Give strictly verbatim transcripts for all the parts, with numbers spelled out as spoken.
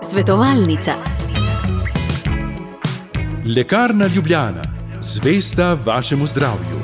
Svetovalnica. Lekarna Ljubljana, zvesta vašemu zdravju.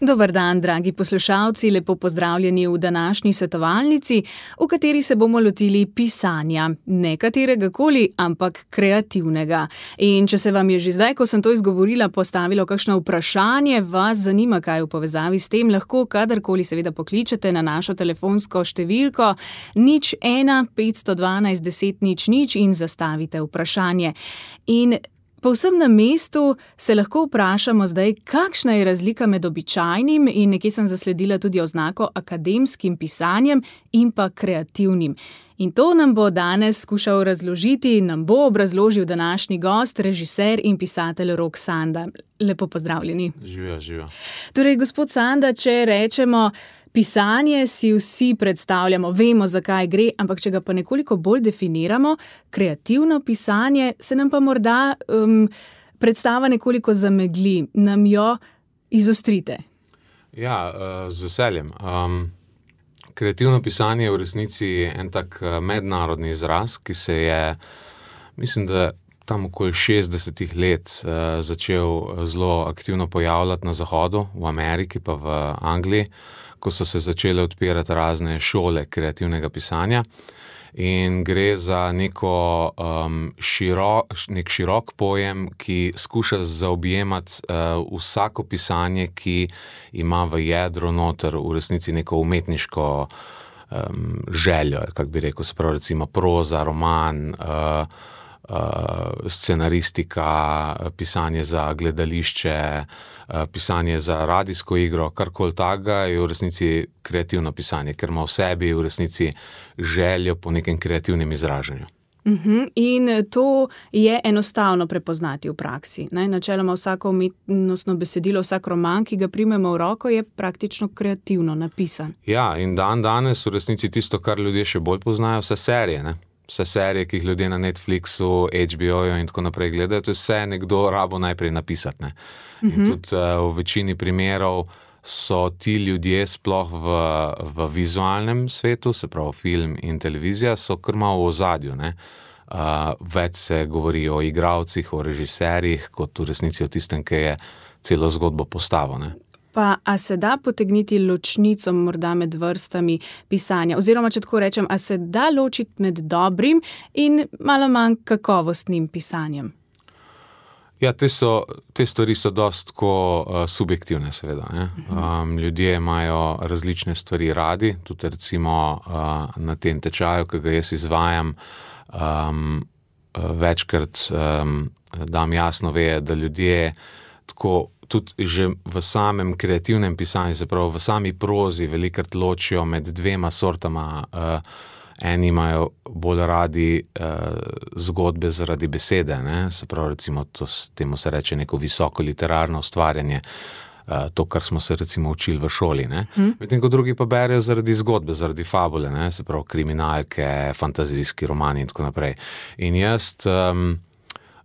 Dober dan, dragi poslušalci, lepo pozdravljeni v današnji svetovalnici, v kateri se bomo lotili pisanja. Ne katerega koli, ampak kreativnega. In če se vam je že zdaj, ko sem to izgovorila, postavilo kakšno vprašanje, vas zanima, kaj v povezavi s tem, lahko kadarkoli seveda pokličete na našo telefonsko številko nič ena petsto dvanajst deset nič nič in zastavite vprašanje. In povsem na mestu se lahko vprašamo zdaj, kakšna je razlika med običajnim in nekje sem zasledila tudi oznako akademskim pisanjem in pa kreativnim. In to nam bo danes skušal razložiti, nam bo obrazložil današnji gost, režiser in pisatelj Rok Sanda. Lepo pozdravljeni. Živijo, živijo. Torej, gospod Sanda, če rečemo, pisanje si vsi predstavljamo, vemo, zakaj gre, ampak če ga pa nekoliko bolj definiramo, kreativno pisanje, se nam pa morda um, predstava nekoliko zamegli. Nam jo izostrite. Ja, z veseljem. Um, kreativno pisanje je v resnici en tak mednarodni izraz, ki se je, mislim, da tam okoli šestdesetih let uh, začel zelo aktivno pojavljati na Zahodu, v Ameriki pa v Angliji, ko so se začele odpirati razne šole kreativnega pisanja. In gre za neko, um, širo, nek širok pojem, ki skuša zaobjemati uh, vsako pisanje, ki ima v jedru noter v resnici neko umetniško um, željo, kako bi rekel, se pravi recimo proza, roman, uh, Uh, scenaristika, pisanje za gledališče, uh, pisanje za radijsko igro, karkoli takega je v resnici kreativno pisanje, ker ima v sebi v resnici željo po nekem kreativnem izražanju. Uh-huh. In to je enostavno prepoznati v praksi. Ne? Načeloma vsako umetnostno besedilo, vsak roman, ki ga primemo v roko, je praktično kreativno napisan. Ja, in dan danes v resnici tisto, kar ljudje še bolj poznajo, vse serije, ne? Vse serije, ki jih ljudje na Netflixu, H B O-ju in tako naprej gledajo, to je vse nekdo rabo najprej napisati. Ne? In uh-huh. tudi uh, v večini primerov so ti ljudje sploh v, v vizualnem svetu, se pravi film in televizija, so kar malo v ozadju. Ne? Uh, več se govori o igralcih, o režiserjih, kot v resnici o tistem, ki je celo zgodbo postavil. Ne? Pa a se da potegniti ločnico morda med vrstami pisanja? Oziroma, če tako rečem, a se da ločiti med dobrim in malo manj kakovostnim pisanjem? Ja, te, so, te stvari so dost tako uh, subjektivne, seveda. Ne? Um, ljudje imajo različne stvari radi, tudi recimo uh, na tem tečaju, ki ga jaz izvajam, um, uh, večkrat um, dam jasno ve, da ljudje tako tudi že v samem kreativnem pisanju, se pravi v sami prozi velikrat ločijo med dvema sortama. Uh, eni imajo bolj radi uh, zgodbe zaradi besede, ne? Se pravi recimo to, temu se reče neko visoko literarno ustvarjanje, uh, to, kar smo se recimo učili v šoli. Ne? Hmm. Medtem ko drugi pa berejo zaradi zgodbe, zaradi fabule, ne? Se pravi kriminalke, fantazijski romani in tako naprej. In jaz um,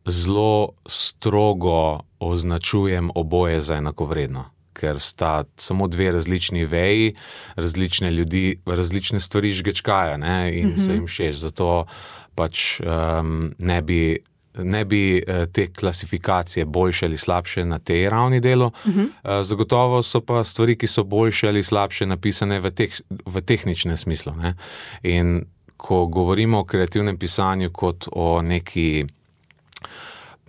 zelo strogo označujem oboje za enakovredno, ker sta samo dve različni veji, različne ljudi, različne stvari žgečkajo, ne, in mm-hmm. so jim všeč. Zato pač um, ne bi, ne bi te klasifikacije boljše ali slabše na tej ravni delu. Mm-hmm. Uh, zagotovo so pa stvari, ki so boljše ali slabše napisane v, tek, v tehničnem smislu. Ne. In ko govorimo o kreativnem pisanju kot o neki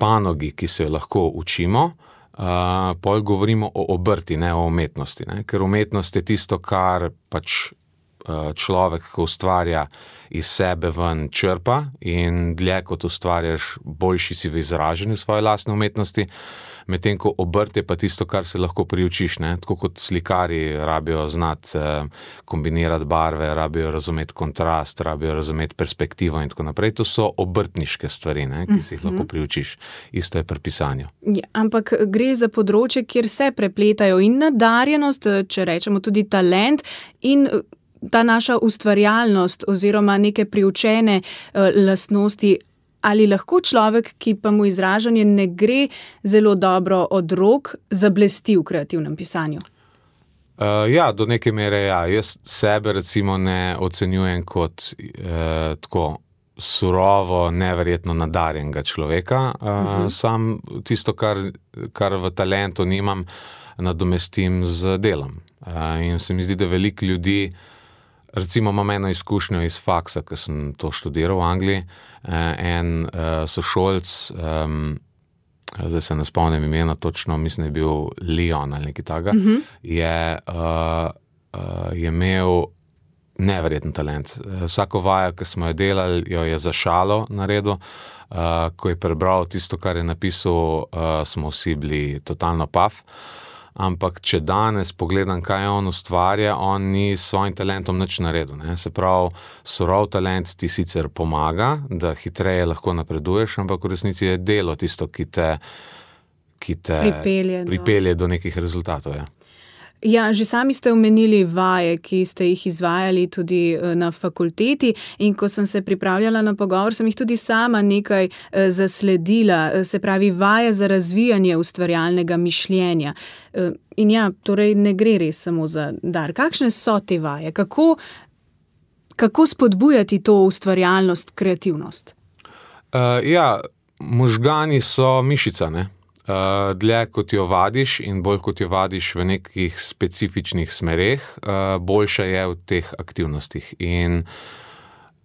panogi, ki se jo lahko učimo, uh, pol govorimo o obrti, ne o umetnosti. Ne? Ker umetnost je tisto, kar pač uh, človek, ko ustvarja iz sebe ven črpa in dlje kot ustvarjaš, boljši si v izražanju svoje lastne umetnosti, medtem ko obrt je pa tisto, kar se lahko priučiš. Ne? Tako kot slikari rabijo znati eh, kombinirati barve, rabijo razumeti kontrast, rabijo razumeti perspektivo in tako naprej. To so obrtniške stvari, ne? Ki si jih lahko priučiš. Isto je pri pisanju. Ja, ampak gre za področje, kjer se prepletajo in nadarjenost, če rečemo tudi talent in ta naša ustvarjalnost oziroma neke priučene uh, lastnosti. Ali lahko človek, ki pa mu izražanje ne gre zelo dobro od rok, zablesti v kreativnem pisanju? Uh, ja, do neke mere ja. Jaz sebe recimo ne ocenjujem kot uh, tako surovo, neverjetno nadarjenega človeka. Uh, uh-huh. Sam tisto, kar, kar v talentu nimam, nadomestim z delom. Uh, in se mi zdi, da veliko ljudi, recimo imam eno izkušnjo iz faksa, ker sem to študiral v Angliji, uh, en uh, sošolc, um, zdaj se ne spomnim imena točno, mislim, je bil Leon ali nekaj takega, uh-huh. je, uh, uh, je imel neverjeten talent. Vsako vajo, ki smo jo delali, jo je za šalo naredil. Uh, ko je prebral tisto, kar je napisal, uh, smo vsi bili totalno paf. Ampak, če danes pogledam, kaj on ustvarja, on ni s svojim talentom nič naredil. Ne? Se pravi, surov talent ti sicer pomaga, da hitreje lahko napreduješ, ampak v resnici je delo tisto, ki te, ki te pripelje, pripelje do. do nekih rezultatov. Ja. Ja, že sami ste omenili vaje, ki ste jih izvajali tudi na fakulteti, in ko sem se pripravljala na pogovor, sem jih tudi sama nekaj zasledila, se pravi vaje za razvijanje ustvarjalnega mišljenja. In ja, torej ne gre res samo za dar. Kakšne so te vaje? Kako, kako spodbujati to ustvarjalnost, kreativnost? Uh, ja, možgani so mišica, ne? Uh, dlje kot jo vadiš in bolj kot jo vadiš v nekih specifičnih smereh, uh, boljša je v teh aktivnostih. In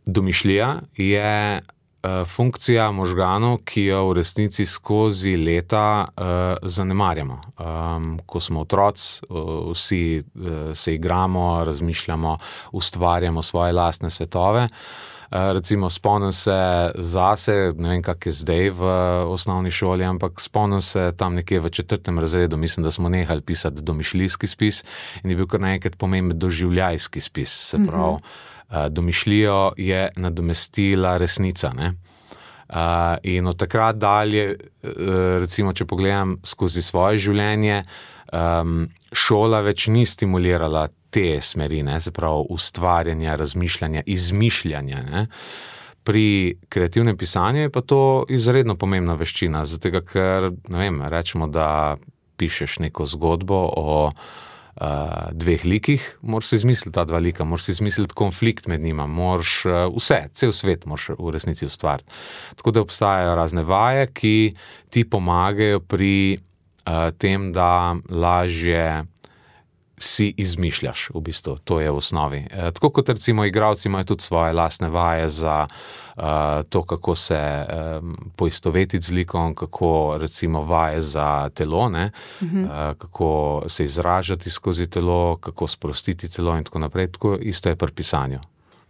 domišljija je uh, funkcija možganov, ki jo v resnici skozi leta uh, zanemarjamo. Um, ko smo otroci, uh, vsi uh, se igramo, razmišljamo, ustvarjamo svoje lastne svetove. Uh, recimo spomnim se zase, ne vem, kak je zdaj v osnovni šoli, ampak spomnim se tam nekje v četrtem razredu, mislim, da smo nehali pisati domišljijski spis in je bil kar naenkrat pomemben doživljajski spis. Se pravi, uh, domišljijo je nadomestila resnica, ne? Uh, in od takrat dalje, uh, recimo, če pogledam skozi svoje življenje, um, šola več ni stimulirala te smeri, ne, se pravi ustvarjanja, razmišljanja, izmišljanja. Ne. Pri kreativnem pisanju je pa to izredno pomembna veščina, zato ker, ne vem, rečemo, da pišeš neko zgodbo o uh, dveh likih, moraš si izmisliti ta dva lika, moraš si izmisliti konflikt med njima, moraš uh, vse, cel svet moraš v resnici ustvariti. Tako da obstajajo razne vaje, ki ti pomagajo pri uh, tem, da lažje si izmišljaš, v bistvu, to je v osnovi. E, tako kot recimo igralci imajo tudi svoje lastne vaje za uh, to, kako se um, poistovetiti z likom, kako recimo vaje za telo, ne? Uh-huh. uh, kako se izražati skozi telo, kako sprostiti telo in tako naprej. Tako isto je pri pisanju.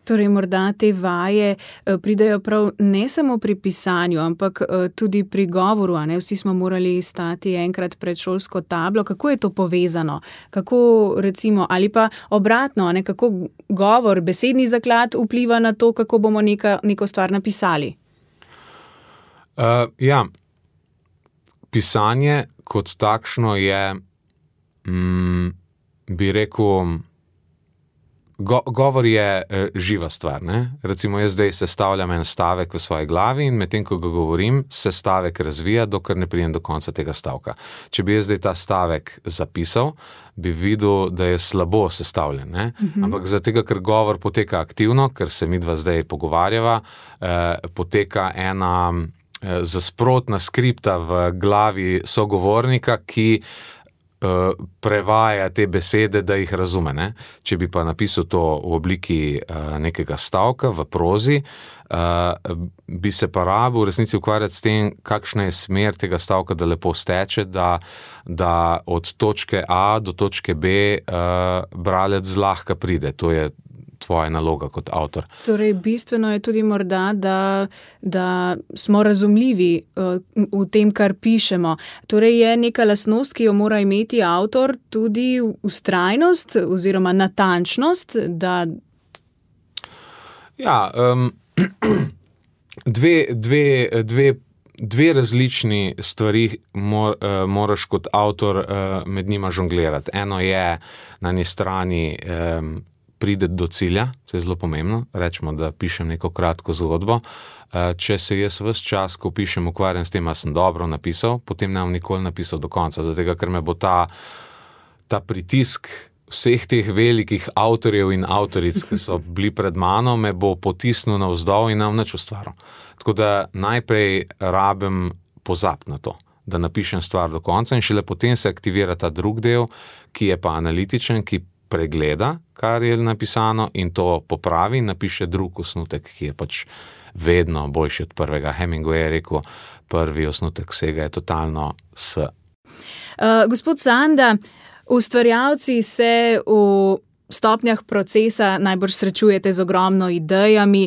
Torej, morda te vaje pridejo prav ne samo pri pisanju, ampak tudi pri govoru, a ne? Vsi smo morali stati enkrat pred šolsko tablo. Kako je to povezano? Kako recimo, ali pa obratno, a ne? Kako govor, besedni zaklad vpliva na to, kako bomo neka, neko stvar napisali? Uh, ja, pisanje kot takšno je, mm, bi rekel, Go, govor je e, živa stvar. Ne? Recimo jaz zdaj sestavljam en stavek v svoji glavi in medtem, ko ga govorim, se stavek razvija, dokler ne pridem do konca tega stavka. Če bi jaz zdaj ta stavek zapisal, bi videl, da je slabo sestavljen. Ne? Uh-huh. Ampak zato, ker govor poteka aktivno, ker se midva zdaj pogovarjava, eh, poteka ena eh, zasprotna skripta v glavi sogovornika, ki prevaja te besede, da jih razume. Ne? Če bi pa napisal to v obliki uh, nekega stavka v prozi, uh, bi se pa rabil v resnici ukvarjati s tem, kakšna je smer tega stavka, da lepo steče, da, da od točke A do točke B uh, bralec zlahka pride. To je tvoja naloga kot avtor. Torej, bistveno je tudi morda, da, da smo razumljivi uh, v tem, kar pišemo. Torej, je neka lastnost, ki jo mora imeti avtor, tudi vztrajnost oziroma natančnost, da... Ja, um, dve, dve, dve, dve različni stvari mor, uh, moraš kot avtor uh, med njima žonglirati. Eno je na eni strani um, pride do cilja, to je zelo pomembno, rečemo, da pišem neko kratko zgodbo. Če se jaz ves čas, ko pišem, ukvarjam s tem, a sem dobro napisal, potem ne bom nikoli napisal do konca, zato ker me bo ta, ta pritisk vseh teh velikih avtorjev in avtoric, ki so bili pred mano, me bo potisnil navzdol in nam nič ustvaril. Tako da najprej rabim pozabiti na to, da napišem stvar do konca in šele potem se aktivira ta drug del, ki je pa analitičen, ki pregleda, kar je napisano in to popravi in napiše drug osnutek, ki je pač vedno boljši od prvega. Hemingway je rekel, prvi osnutek vsega je totalno S. Uh, gospod Sanda, ustvarjalci se v stopnjah procesa najbrž srečujete z ogromno idejami,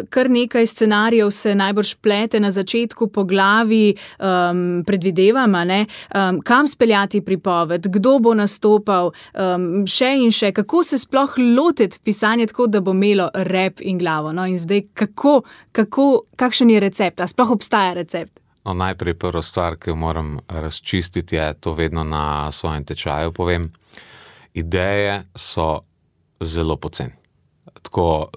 kar nekaj scenarijev se najbrž plete na začetku po glavi, um, predvidevam, ne? Um, kam speljati pripoved, kdo bo nastopal, um, še in še, kako se sploh lotiti pisanja tako, da bo imelo rep in glavo. No? In zdaj, kako, kako, kakšen je recept, a sploh obstaja recept? No, najprej prva stvar, ki jo moram razčistiti, je to vedno na svojem tečaju povem. Ideje so zelo poceni. Tako,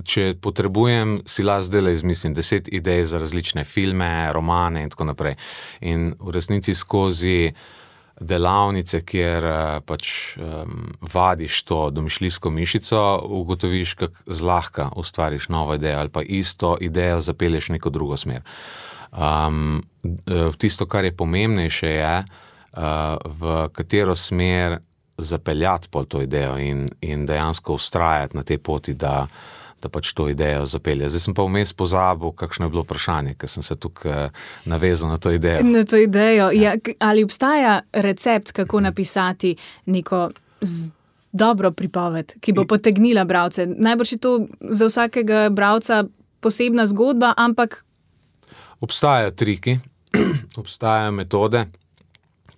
če potrebujem, si lahko zdajle izmislim deset idej za različne filme, romane in tako naprej. In v resnici skozi delavnice, kjer pač um, vadiš to domišljijsko mišico, ugotoviš, kako zlahka ustvariš novo idejo ali pa isto idejo zapelješ v neko drugo smer. Um, tisto, kar je pomembnejše, je, uh, v katero smer zapeljati pol to idejo in, in dejansko vztrajati na tej poti, da, da pač to idejo zapelje. Zdaj sem pa vmes pozabil, kakšno je bilo vprašanje, ker sem se tukaj navezal na to idejo. Na to idejo. Ja. Ja, ali obstaja recept, kako napisati neko z... dobro pripoved, ki bo potegnila bralce? Najbrž je to za vsakega bralca posebna zgodba, ampak obstajajo triki, obstajajo metode,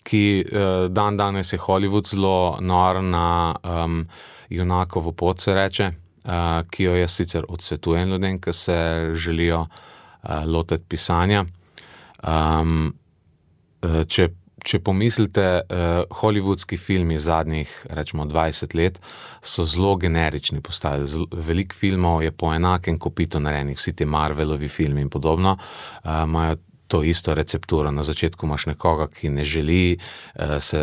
ki dan danes je Hollywood zelo nor na um, junakovo pot, se reče, uh, ki jo jaz sicer odsvetujem ljudem, ki se želijo uh, lotiti pisanja. Um, če, če pomislite, uh, hollywoodski filmi zadnjih, rečemo, dvajset let so zelo generični postali. Veliko filmov je po enakem kopitu narejenih, vsi ti Marvelovi filmi in podobno, uh, imajo to isto recepturo. Na začetku imaš nekoga, ki ne želi uh, se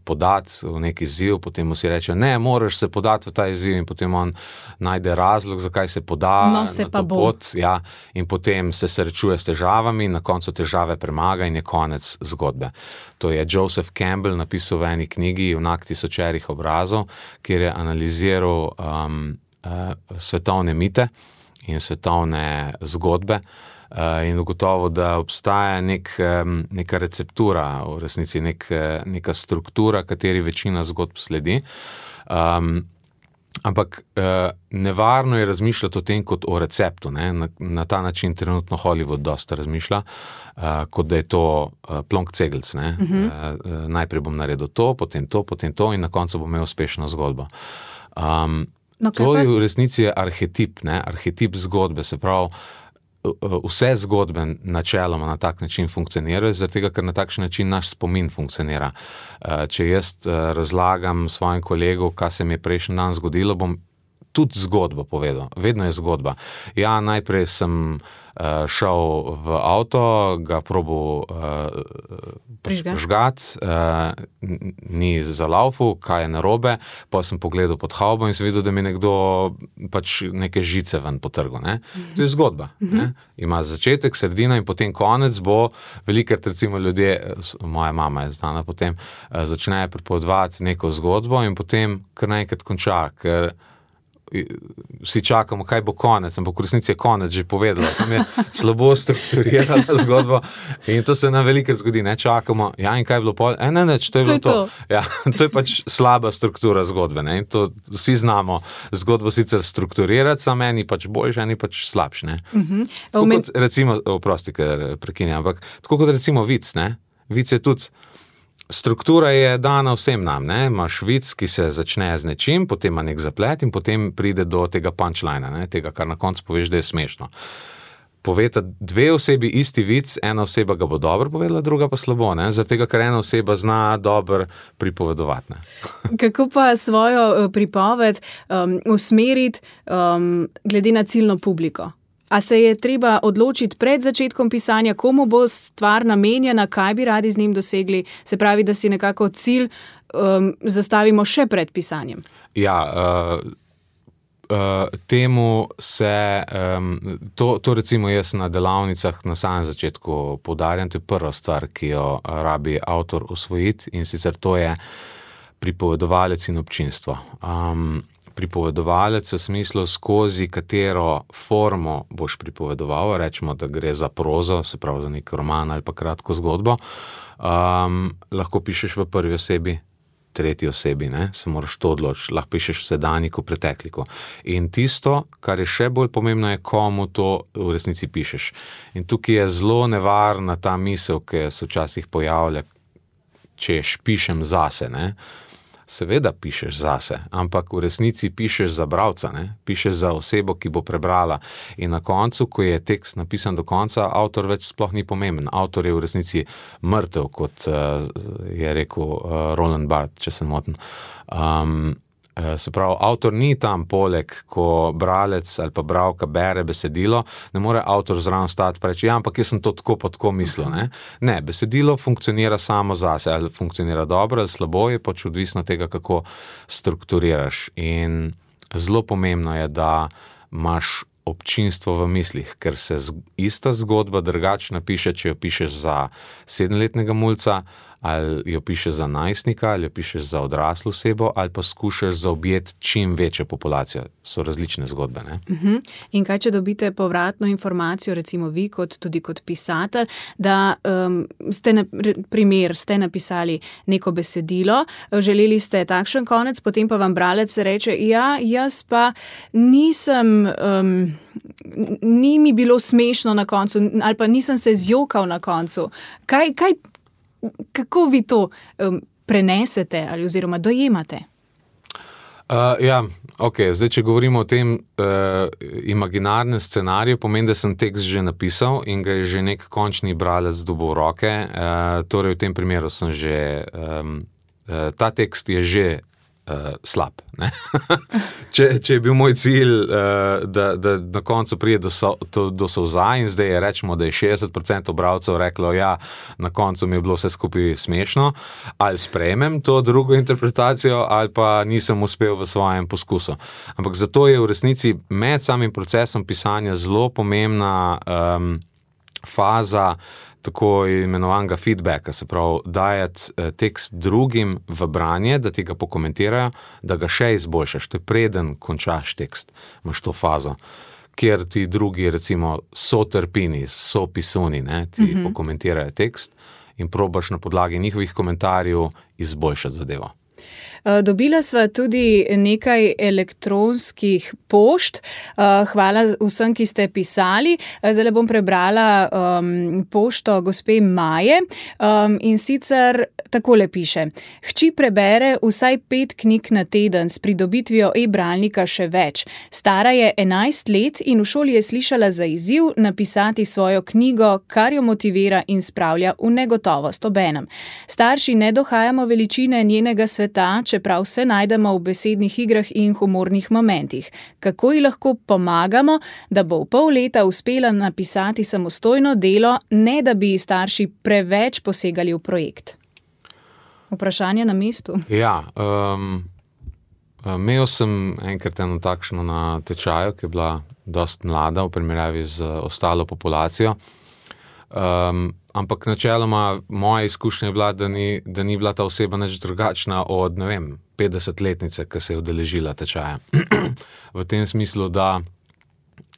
podati v neki izziv, potem mu si reče, ne, moraš se podati v ta izziv in potem on najde razlog, zakaj se poda no, se na to pot. Ja, in potem se srečuje s težavami in na koncu težave premaga in je konec zgodbe. To je Joseph Campbell napisal v eni knjigi Junak tisočerih obrazov, kjer je analiziral um, uh, svetovne mite in svetovne zgodbe. Uh, in ugotovo, da obstaja nek, um, neka receptura, v resnici nek, neka struktura, kateri večina zgodb sledi. Um, ampak uh, nevarno je razmišljati o tem kot o receptu. Ne? Na, na ta način trenutno Hollywood dosta razmišlja, uh, kot da je to uh, plonk cegelc. Ne? Uh-huh. Uh, najprej bom naredil to, potem to, potem to in na koncu bom imel uspešno zgodbo. Um, no, to je v resnici arhetip, ne? Arhetip zgodbe, se pravi, vse zgodbe načeloma na tak način funkcionirajo, zaradi tega, ker na takšen način naš spomin funkcionira. Če jaz razlagam svojim kolegu, kaj se mi je prejšnji dan zgodilo, bom tudi zgodbo povedal. Vedno je zgodba. Ja, najprej sem uh, šel v avto, ga probal uh, prižgati, uh, ni zalaufal, kaj je narobe, pa sem pogledal pod havbo in sem videl, da mi nekdo pač neke žice ven potrgal. Ne? To je zgodba. Ne? Ima začetek, sredina in potem konec bo, velikrat recimo ljudje, moja mama je znana potem, uh, začnejo pripovedovati neko zgodbo in potem kar naenkrat konča, ker vsi čakamo, kaj bo konec, ampak v resnici je konec že povedala, sem je slabo strukturirala zgodbo in to se nam velikrat zgodi, ne, čakamo, ja, in kaj je bilo pol, e, ne, ne, to je bilo to, to. Ja, to je pač slaba struktura zgodbe, ne, in to vsi znamo zgodbo sicer strukturirati, samo eni pač boljši, eni pač slabši, ne. Uh-huh. Tako kot, recimo, oprosti, ker prekinjam, ampak tako kot recimo vic, ne, vic je tudi struktura je dana vsem nam, ne, imaš vic, ki se začne z nečim, potem ima nek zaplet in potem pride do tega punchline, ne, tega, kar na koncu poveš, da je smešno. Poveta dve osebi isti vic, ena oseba ga bo dobro povedala, druga pa slabo, ne, zato tega, ker ena oseba zna dobro pripovedovati, ne. Kako pa svojo pripoved um, usmeriti um, glede na ciljno publiko? A se je treba odločiti pred začetkom pisanja, komu bo stvar namenjena, kaj bi radi z njim dosegli, se pravi, da si nekako cilj um, zastavimo še pred pisanjem? Ja, uh, uh, temu se, um, to, to recimo jaz na delavnicah na samem začetku poudarjam, to je prva stvar, ki jo rabi avtor usvojiti, in sicer to je pripovedovalec in občinstvo. Um, pripovedovalec v smislu, skozi katero formo boš pripovedoval, rečemo, da gre za prozo, se pravi za nek roman ali pa kratko zgodbo, um, lahko pišeš v prvi osebi, tretji osebi, ne? Se moraš to odločiti, lahko pišeš v sedanjiku, pretekliku. In tisto, kar je še bolj pomembno, je, komu to v resnici pišeš. In tukaj je zelo nevarna ta misel, ki se včasih pojavlja, češ pišem zase, ne? Seveda pišeš zase, ampak v resnici pišeš za bralca, ne? Pišeš za osebo, ki bo prebrala. In na koncu, ko je tekst napisan do konca, avtor več sploh ni pomemben. Avtor je v resnici mrtev, kot uh, je rekel uh, Roland Barthes, če se motim. Um, Se pravi, avtor ni tam poleg, ko bralec ali pa bralka bere besedilo, ne more avtor zraven stati pa reči, ja, ampak jaz sem to tako pa tako mislil. Ne? ne, besedilo funkcionira samo zase, ali funkcionira dobro ali slabo, je pač odvisno tega, kako strukturiraš. In zelo pomembno je, da imaš občinstvo v mislih, ker se ista zgodba drugače napiše, če jo pišeš za sedemletnega mulca, ali jo pišeš za najstnika, ali jo pišeš za odraslo osebo, ali pa skušaš zaobjeti čim večjo populacijo. So različne zgodbe, ne? Uh-huh. In kaj, če dobite povratno informacijo, recimo vi, kot, tudi kot pisatelj, da um, ste, na primer, ste napisali neko besedilo, želeli ste takšen konec, potem pa vam bralec reče, ja, jaz pa nisem, um, ni mi bilo smešno na koncu, ali pa nisem se zjokal na koncu. Kaj, kaj Kako vi to um, prenesete ali oziroma dojemate? Uh, ja, ok, zdaj, če govorimo o tem uh, imaginarnem scenariju, pomeni, da sem tekst že napisal in ga je že nek končni bralec dobil v roke, uh, torej v tem primeru sem že, um, uh, ta tekst je že Uh, slab. Ne? če, če je bil moj cilj, uh, da, da na koncu prije do, so, do, do solza in zdaj je rečemo, da je šestdeset procentov bralcev reklo, ja, na koncu mi je bilo vse skupaj smešno, ali sprejmem to drugo interpretacijo, ali pa nisem uspel v svojem poskusu. Ampak zato je v resnici med samim procesom pisanja zelo pomembna um, faza tako imenovanega feedbacka, se pravi, dajati tekst drugim v branje, da ti ga pokomentirajo, da ga še izboljšaš. To je preden končaš tekst, imaš to fazo, kjer ti drugi, recimo, so trpini, so pisuni, ne, ti mm-hmm. pokomentirajo tekst in probaš na podlagi njihovih komentarjev izboljšati zadevo. Dobila sva tudi nekaj elektronskih pošt. Hvala vsem, ki ste pisali. Zdaj bom prebrala um, pošto gospe Maje um, in sicer takole piše. Hči prebere vsaj pet knjig na teden, s pridobitvijo e-bralnika še več. Stara je enajst let in v šoli je slišala za izziv napisati svojo knjigo, kar jo motivira in spravlja v negotovost obenem. Starši ne dohajamo veličine njenega sveta, čeprav se najdemo v besednih igrah in humornih momentih. Kako ji lahko pomagamo, da bo v pol leta uspela napisati samostojno delo, ne da bi starši preveč posegali v projekt? Vprašanje na mestu. Ja, um, imel sem enkrat eno takšno na tečaju, ki je bila dost mlada v primerjavi z ostalo populacijo. Um, ampak načeloma moja izkušnja je bila, da ni, da ni bila ta oseba nič drugačna od, ne vem, petdesetletnice, ki se je udeležila tečaja. V tem smislu, da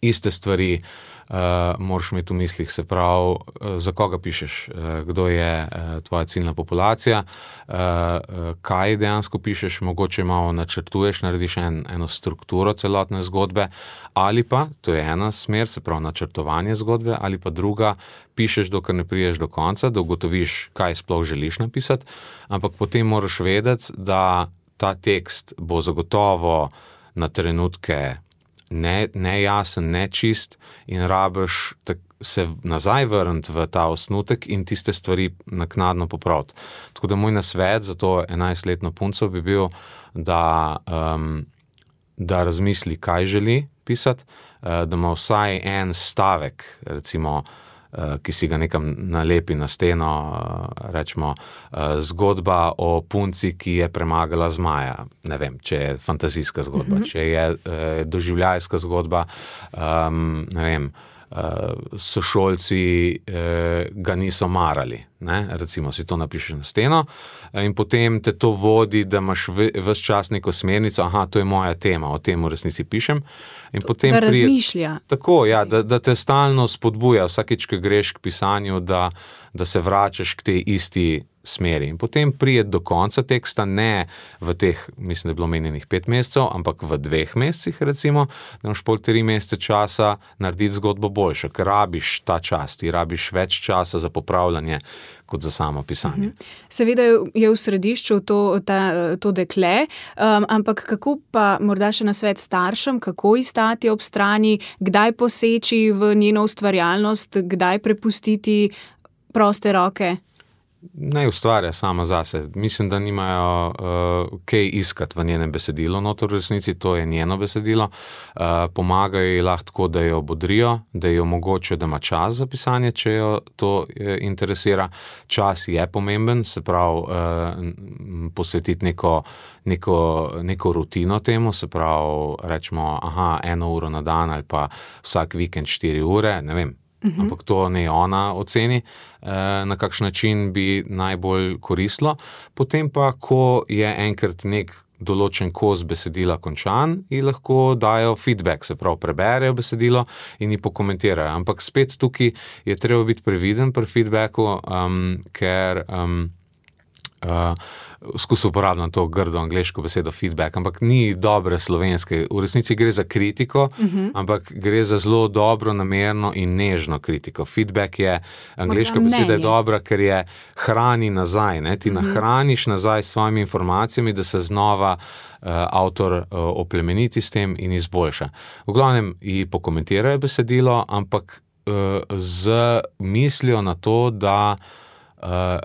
iste stvari uh, moraš imeti v mislih, se pravi, uh, za koga pišeš, uh, kdo je uh, tvoja ciljna populacija, uh, uh, kaj dejansko pišeš, mogoče malo načrtuješ, narediš en, eno strukturo celotne zgodbe, ali pa, to je ena smer, se pravi načrtovanje zgodbe, ali pa druga, pišeš, dokler ne priješ do konca, da ugotoviš, kaj sploh želiš napisati, ampak potem moraš vedeti, da ta tekst bo zagotovo na trenutke ne, nejasen, nečist in rabiš tak, se nazaj vrniti v ta osnutek in tiste stvari naknadno popraviti. Tako da moj nasvet za to enajstletno punco bi bil, da, um, da razmisli, kaj želi pisati, uh, da ima vsaj en stavek, recimo, ki si ga nekam nalepi na steno, rečemo, zgodba o punci, ki je premagala zmaja. Ne vem, če je fantazijska zgodba, mm-hmm. če je doživljajska zgodba, um, ne vem, sošolci ga niso marali, ne? Recimo si to napišeš na steno in potem te to vodi, da imaš ves čas neko smernico, aha, to je moja tema, o tem v resnici pišem. In potem da razmišlja. Prije, tako, ja, da, da te stalno spodbuja vsakič, ko greš k pisanju, da, da se vračaš k tej isti smeri. In potem prije do konca teksta, ne v teh, mislim, da je bilo menjenih pet mesecev, ampak v dveh mesecih, recimo, da imaš pol tri mesece časa narediti zgodbo boljšo, ker rabiš ta čas, ti rabiš več časa za popravljanje kot za samo pisanje. Seveda je v središču to, ta, to dekle, um, ampak kako pa morda še nasvet staršem, kako ji stati ob strani, kdaj poseči v njeno ustvarjalnost, kdaj prepustiti proste roke? Naj ustvarja sama zase. Mislim, da nimajo uh, kaj iskati v njenem besedilu, notor v resnici, to je njeno besedilo. Uh, pomagajo ji lahko tako, da jo bodrijo, da jo omogočijo, da ima čas za pisanje, če jo to eh, interesira. Čas je pomemben, se pravi uh, posvetiti neko, neko, neko rutino temu, se pravi rečemo, aha, eno uro na dan ali pa vsak vikend štiri ure, ne vem. Uhum. Ampak to ne ona oceni, na kakšen način bi najbolj koristilo. Potem pa, ko je enkrat nek določen kos besedila končan, ji lahko dajo feedback, se pravi preberejo besedilo in ji pokomentirajo. Ampak spet tukaj je treba biti previden pri feedbacku, um, ker um, uh, skusil uporabljam to grdo angleško besedo feedback, ampak ni dobre slovenske. V resnici gre za kritiko, uh-huh. ampak gre za zelo dobro, namerno in nežno kritiko. Feedback je, angleška beseda je dobra, ker je hrani nazaj, ne? Ti uh-huh. nahraniš nazaj s svojimi informacijami, da se znova uh, avtor uh, oplemeniti s tem in izboljša. V glavnem ji pokomentirajo besedilo, ampak uh, z mislijo na to, da uh,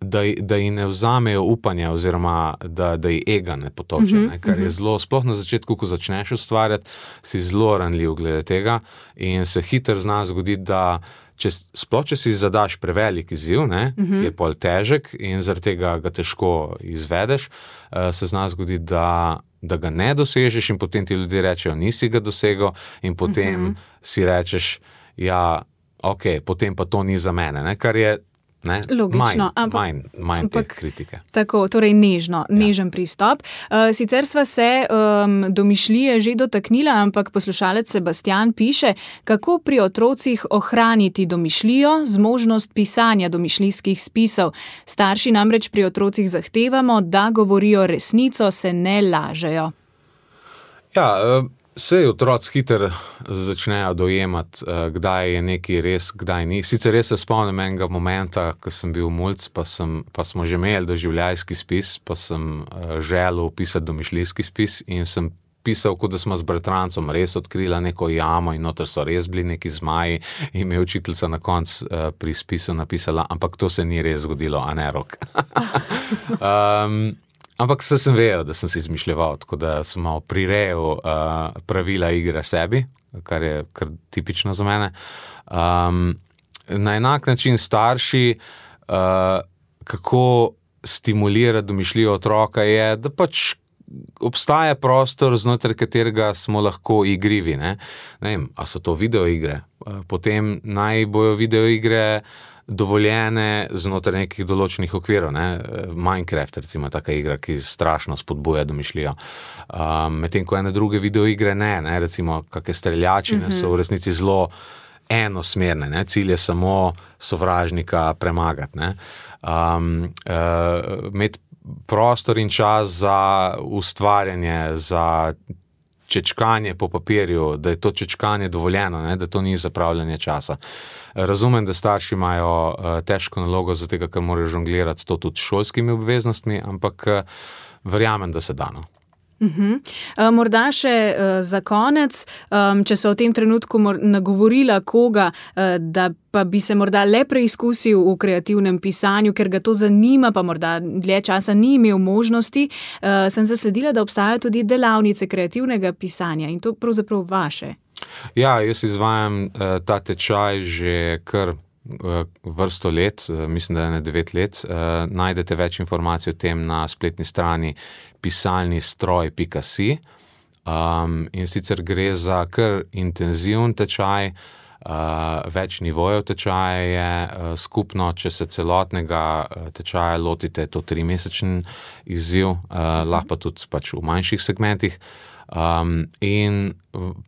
da, da ji ne vzamejo upanja oziroma da, da ji ega ne potoče, uh-huh, ne, kar je zelo, sploh na začetku, ko začneš ustvarjati, si zelo ranljiv glede tega in se hitro zna zgoditi, da če, sploh če si zadaš prevelik izziv, ne, uh-huh. je pol težek in zaradi tega ga težko izvedeš, uh, se zna zgoditi, da da ga ne dosežeš in potem ti ljudje rečejo, nisi ga dosegel in potem uh-huh. si rečeš, ja, ok, potem pa to ni za mene, ne, kar je Ne? Logično, manj, ampak, manj, manj te kritike. Tako, torej nežno, ja. nežen pristop. Uh, sicer sva se um, domišljije že dotaknila, ampak poslušalec Sebastian piše, kako pri otrocih ohraniti domišljijo, zmožnost pisanja domišljijskih spisov. Starši namreč pri otrocih zahtevamo, da govorijo resnico, se ne lažejo. Ja, uh... Sej otroci hitro začnejo dojemati, kdaj je nekaj res, kdaj ni. Sicer res se spomnim enega momenta, ko sem bil mulc, pa, sem, pa smo že imeli doživljajski spis, pa sem želel pisati domišljijski spis in sem pisal, kot da smo z bratrancem res odkrila neko jamo in noter so res bili neki zmaji in mi je učiteljica na koncu pri spisu napisala, ampak to se ni res zgodilo, a ne Rok. um, Ampak se sem vedel, da sem si izmišljeval, tako da sem malo prirejal uh, pravila igre sebi, kar je kar tipično za mene. Um, na enak način starši, uh, kako stimulirati domišljijo otroka je, da pač obstaja prostor, znotraj katerega smo lahko igrivi. Ne? Ne vem, a so to videoigre? Uh, potem naj bojo videoigre dovoljene znotraj nekih določenih okvirov. Ne? Minecraft, recimo, taka igra, ki strašno spodbuja domišljijo. Um, medtem ko ene druge videoigre ne, ne? Recimo, kakšne streljačine mm-hmm. so v resnici zelo enosmerne, ne? Cilj je samo sovražnika premagati. Ne? Um, uh, imeti prostor in čas za ustvarjanje, za čečkanje po papirju, da je to čečkanje dovoljeno, ne? Da to ni zapravljanje časa. Razumem, da starši imajo uh, težko nalogo, zato ker morajo žonglirati to tudi šolskimi obveznostmi, ampak uh, verjamem, da se dano. Uh-huh. Uh, morda še uh, za konec, um, če so v tem trenutku mor- nagovorila koga, uh, da pa bi se morda le preizkusil v kreativnem pisanju, ker ga to zanima, pa morda dlje časa ni imel možnosti, uh, sem zasledila, da obstajajo tudi delavnice kreativnega pisanja in to pravzaprav vaše. Ja, jaz izvajam uh, ta tečaj že kar uh, vrsto let, uh, mislim, da je ne devet let. Uh, najdete več informacij o tem na spletni strani pisalnistroj pika si. Um, in sicer gre za kar intenziven tečaj, uh, več nivojev tečaja je uh, skupno, če se celotnega uh, tečaja lotite, je to trimesečen izziv, uh, lahko pa tudi pač v manjših segmentih. Um, in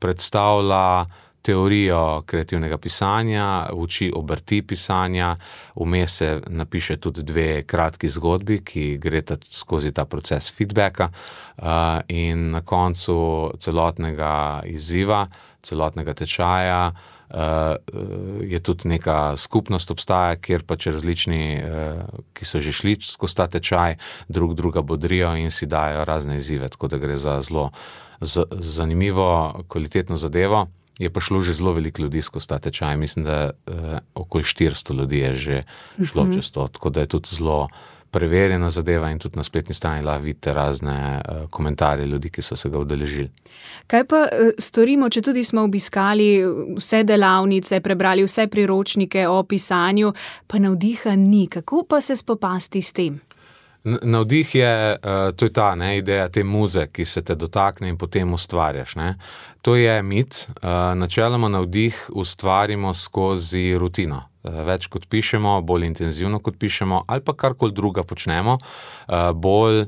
predstavlja teorijo kreativnega pisanja, uči obrti pisanja, vmes se napiše tudi dve kratki zgodbi, ki greta skozi ta proces feedbacka, uh, in na koncu celotnega izziva, celotnega tečaja uh, je tudi neka skupnost obstaja, kjer pač različni, uh, ki so že šli skozi ta tečaj, drug druga bodrijo in si dajo razne izzive, tako da gre za zelo z, zanimivo, kvalitetno zadevo. Je pa šlo že zelo veliko ljudi skozi ta tečaj. Mislim, da eh, okoli štiristo ljudi je že šlo uh-huh. čez to, tako da je tudi zelo preverjena zadeva in tudi na spletni strani lahko vidite razne eh, komentarje ljudi, ki so se ga udeležili. Kaj pa eh, storimo, če tudi smo obiskali vse delavnice, prebrali vse priročnike o pisanju, pa navdiha ni? Kako pa se spopasti s tem? Navdih je, uh, to je ta ne, ideja te muze, ki se te dotakne in potem ustvarjaš. Ne. To je mit. Uh, načeloma navdih ustvarimo skozi rutino. Uh, več kot pišemo, bolj intenzivno kot pišemo, ali pa karkoli druga počnemo, uh, bolj,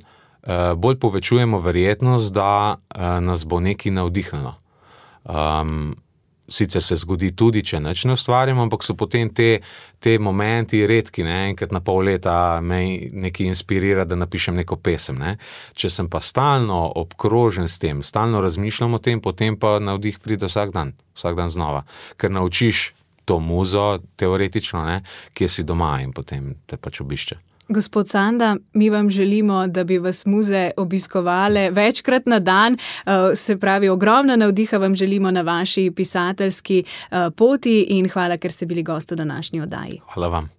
uh, bolj povečujemo verjetnost, da uh, nas bo nekaj navdihnilo. Um, Sicer se zgodi tudi, če nič ne ustvarjamo, ampak so potem te, te momenti redki, ne, enkrat na pol leta me nekaj inspirira, da napišem neko pesem, ne. Če sem pa stalno obkrožen s tem, stalno razmišljam o tem, potem pa navdih pride vsak dan, vsak dan znova, ker naučiš to muzo, teoretično, ne, kje si doma in potem te pač obišče. Gospod Sanda, mi vam želimo, da bi vas muze obiskovale večkrat na dan, se pravi, ogromno navdiha vam želimo na vaši pisateljski poti in hvala, ker ste bili gost v današnji oddaji. Hvala vam.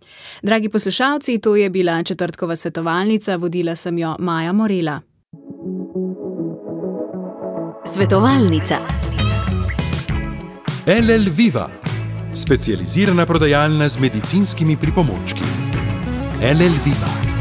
Dragi poslušalci, to je bila četrtkova svetovalnica, vodila sem jo Maja Morela. Svetovalnica. L L Viva, specializirana prodajalna z medicinskimi pripomočki. L L Viva.